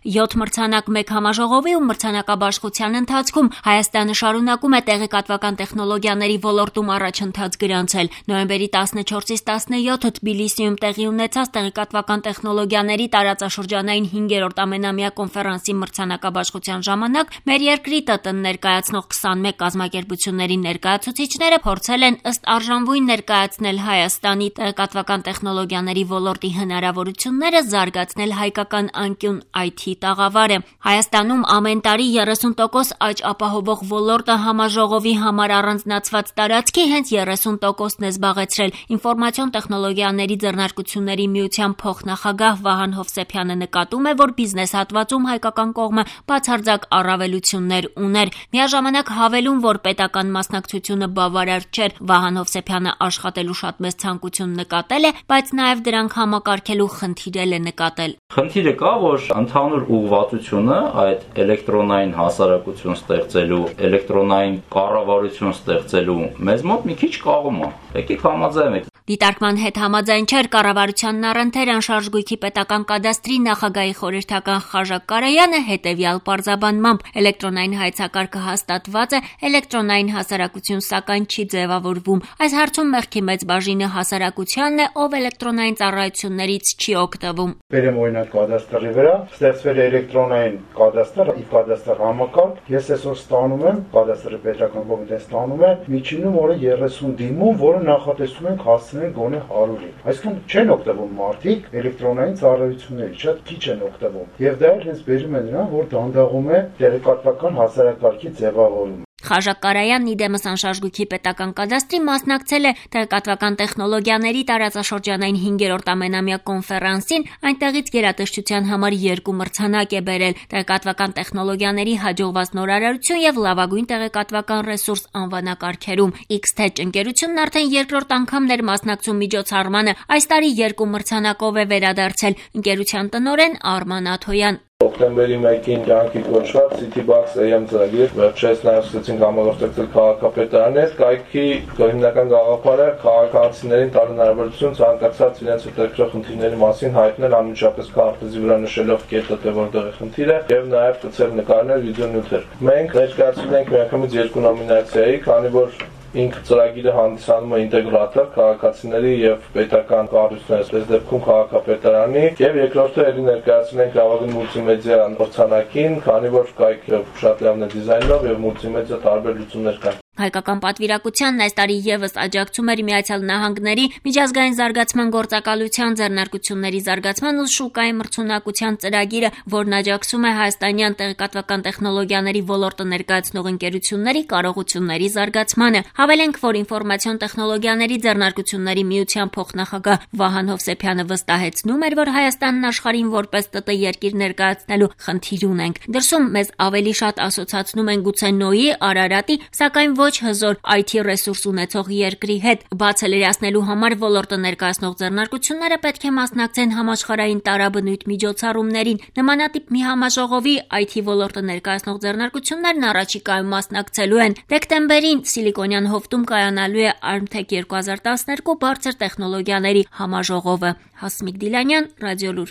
7 մրցանակ 1 համաժողովի ու մրցանակաբաշխության ընթացքում Հայաստանը շարունակում է տեղեկատվական տեխնոլոգիաների ոլորտում առաջընթաց գրանցել։ Նոյեմբերի 14-ից 17 Թբիլիսիում տեղի ունեցած տեղեկատվական տեխնոլոգիաների տարածաշրջանային 5-րդ ամենամյա կոնֆերանսի մրցանակաբաշխության ժամանակ մեր երկրի ՏՏ-ն ներկայացնող 21 կազմակերպությունների ներկայացուցիչները փորձել են ըստ արժանվույն ներկայացնել Հայաստանի տեղեկատվական տեխնոլոգիաների ոլորտի հնարավորությունները, զարգացնել հայկական անկյուն IT տաղավարը։ Հայաստանում ամեն տարի 30% աճ ապահովող ոլորտը համաժողովի համար առանձնացված տարածքի հենց 30%-ն է զբաղեցրել։ Ինֆորմացիոն տեխնոլոգիաների ձեռնարկությունների միության փոխնախագահ Վահան Հովսեփյանը նկատում է, որ բիզնես հատվածում հայկական կողմը բացարձակ առավելություններ ուներ։ Միաժամանակ հավելում, որ պետական մասնակցությունը բավարար չէր։ Վահան Հովսեփյանը աշխատելու շատ մեծ ցանկություն նկատել է, բայց նաև դրանք համակարգելու խնդիր է նկատել։ Խնդիրը կա, որ ընդհանուր ուղղվածությունը այդ էլեկտրոնային հասարակություն ստեղծելու, էլեկտրոնային կառավարություն ստեղծելու մեզ մոտ մի քիչ կաղում է։ Եկեք համաձայնենք։ Դիտարկման հետ համաձայն չէր կառավարությանն առընթեր անշարժ գույքի պետական կադաստրի նախագահի խորհրդական Խաժակ Կարայանը հետևյալ պարզաբանմամբ. էլեկտրոնային հայեցակարգը հաստատված է, էլեկտրոնային հասարակություն սակայն չի ձևավորվում։ Այս հարցում մեղքի մեծ բաժինը հասարակությանն է, ով էլեկտրոնային ծառայություններից չի օգտվում։ Բերեմ օրինակ կադաստրի վրա, ստեղծվել է էլեկտրոնային կադաստր, ի կադաստր համակարգ։ Ես այսօր ստանում եմ, կադաստրի պետական կոմիտեն ստանում է միջինում օրը 30 դիմում, որը նախատեսում ենք հասցնել գոնե 100-ի։ Այսինքն չեն օգտվում մարդիկ էլեկտրոնային ծառայություններից, շատ քիչ են օգտվում։ Եվ դա էլ հենց բերում է նրան, որ դանդաղում է տեղեկատվական հասարակարգի ձևավորումը։ Խաժակ Կարայանն իդեմս անշարժ գույքի պետական կադաստրի մասնակցել է տեղեկատվական տեխնոլոգիաների տարածաշրջանային 5-րդ ամենամյա կոնֆերանսին, այնտեղից գերատեսչության համար 2 մրցանակ է բերել՝ տեղեկատվական տեխնոլոգիաների հաջողված նորարարություն եւ լավագույն տեղեկատվական ռեսուրս անվանակարգերում։ X-Tech ընկերությունն արդեն երկրորդ անգամն էր մասնակցում միջոցառմանը, այս տարի 2 մրցանակով է վերադարձել։ Ընկերության տնօրեն Արման Աթոյան։ Հոկտեմբերի 1-ին կյանքի կոչված Citybox AM ծրագիր վերջերս նաև սկսեցինք համագործակցել քաղաքապետարանի հետ։ Կայքի հիմնական գաղափարը քաղաքացիներին տալ հնարավորություն ցանկացած իրենց հետաքրքրող խնդիրների մասին հայտնել անմիջապես քարտեզի վրա նշելով կետը, թե որտեղ է խնդիրը, եւ նաև գծել նկարներ, վիդեոնյութեր։ Մենք ներկայացրել ենք միանգամից 2 նոմինացիայի, քանի որ ինքը ծրագիրը հանդիսանում է ինտեգրատոր քաղաքացիների եւ պետական կառույցների, այս դեպքում քաղաքապետարանի, եւ երկրորդը ելի ներկայացնել ենք լավագույն մուլտիմեդիա մրցանակին, քանի որ կայքը շատ լավն է դիզայնով եւ մուլտիմեդիա տարբեր լուծումներ կան։ Հայկական պատվիրակությանն այս տարի եւս աջակցում էր Միացյալ Նահանգների միջազգային զարգացման գործակալության ձեռնարկությունների զարգացման ու շուկայի մրցունակության ծրագիրը, որն աջակցում է հայաստանյան տեղեկատվական տեխնոլոգիաների ոլորտը ներկայացնող ընկերությունների կարողությունների զարգացմանը։ Հավելենք, որ ինֆորմացիոն տեխնոլոգիաների ձեռնարկությունների միության փոխնախագահ Վահան Հովսեփյանը վստահեցնում էր, որ Հայաստանն աշխարհին որպես ՏՏ երկիր ներկայացնելու խնդիր ունենք։ Դրսում մեզ ավելի շատ ասոցացնում են գուցե Նոյի, Արարատի, սակայն ոչ հզոր IT ռեսուրս ունեցող երկրի հետ։ Բացը լրացնելու համար ոլորտը ներկայացնող ձեռնարկությունները պետք է մասնակցեն համաշխարհային տարաբնույթ միջոցառումներին։ Նմանատիպ մի համաժողովի IT ոլորտը ներկայացնող ձեռնարկություններն առաջիկայում մասնակցելու են։ Դեկտեմբերին Սիլիկոնյան հովտում կայանալու է Armtech 2012 բարձր տեխնոլոգիաների համաժողովը։ Հասմիկ Դիլանյան, Ռադիոլուր։